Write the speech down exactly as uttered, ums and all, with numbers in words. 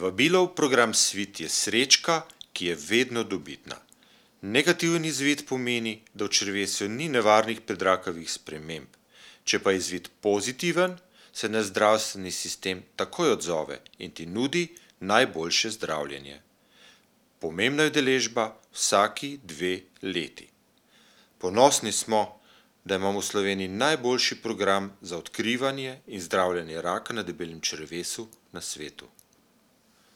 Vabilo v program Svit je srečka, ki je vedno dobitna. Negativen izvid pomeni, da v črevesju ni nevarnih predrakavih sprememb. Če pa je izvid pozitiven, se naš zdravstveni sistem takoj odzove in ti nudi najboljše zdravljenje. Pomembna je udeležba vsaki dve leti. Ponosni smo, da imamo v Sloveniji najboljši program za odkrivanje in zdravljenje raka na debelem črevesu na svetu.